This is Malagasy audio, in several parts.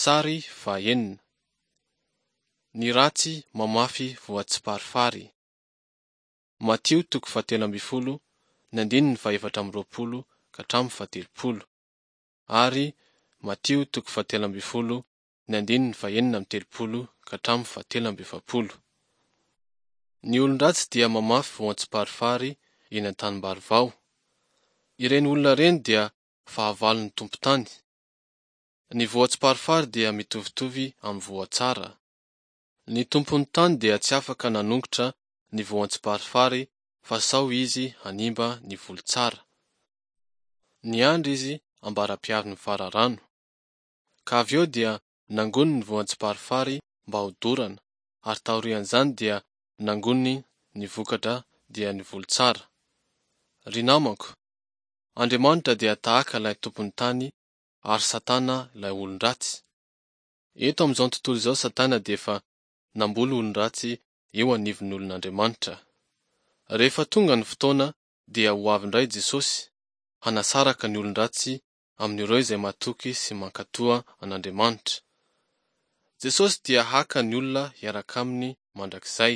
Sary fahenina. Ny ratsy mamafy voatsiparifary. Matio toko fahatelo ambin'ny folo, ny andininy fahefatra amby roapolo ka hatramin'ny fahatelopolo ary Matio toko fahatelo ambin'ny folo, ny andininy fahenina amby telopolo ka hatramin'ny fahatelo amby efapolo. Ny olon-dratsy dia mamafy voan-tsiparifary eny an-tanimbary vao. Ireny olona ireny dia fahavalon'ny tompon-tany. Ny voan-tsiparifary dia mitovitovy amin'ny voa tsara. Ny tompon'ny tany dia tsy afaka nanongotra ny voan-tsiparifary fa sao izy hanimba ny voly tsara. Niandry izy ambara-piavin'ny fararano. Ka avy eo dia nangoniny ny voan-tsiparifary mba hodorana ary taorian'izany dia nangoniny ny vokatra dia ny voly tsara. Ry namako, Andriamanitra dia tahaka ilay tompon'ny tany ary Satana ilay olon-dratsy. Eto amin'izao tontolo izao Satana dia efa namboly olon-dratsy eo anivon'ny olon'Andriamanitra. Rehefa tonga ny fotoana dia ho avy indray Jesosy, hanasaraka ny olon-dratsy amin'ireo izay matoky sy mankatoa an'Andriamanitra. Jesosy dia haka ny olona hiaraka aminy mandrakizay.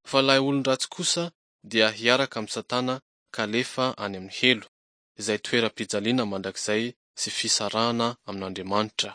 Fa ilay olon-dratsy kosa dia hiaraka amin'i Satana ka alefa any amin'ny helo, izay toeram-pijaliana mandrakizay sy fisarahana amin'Andriamanitra.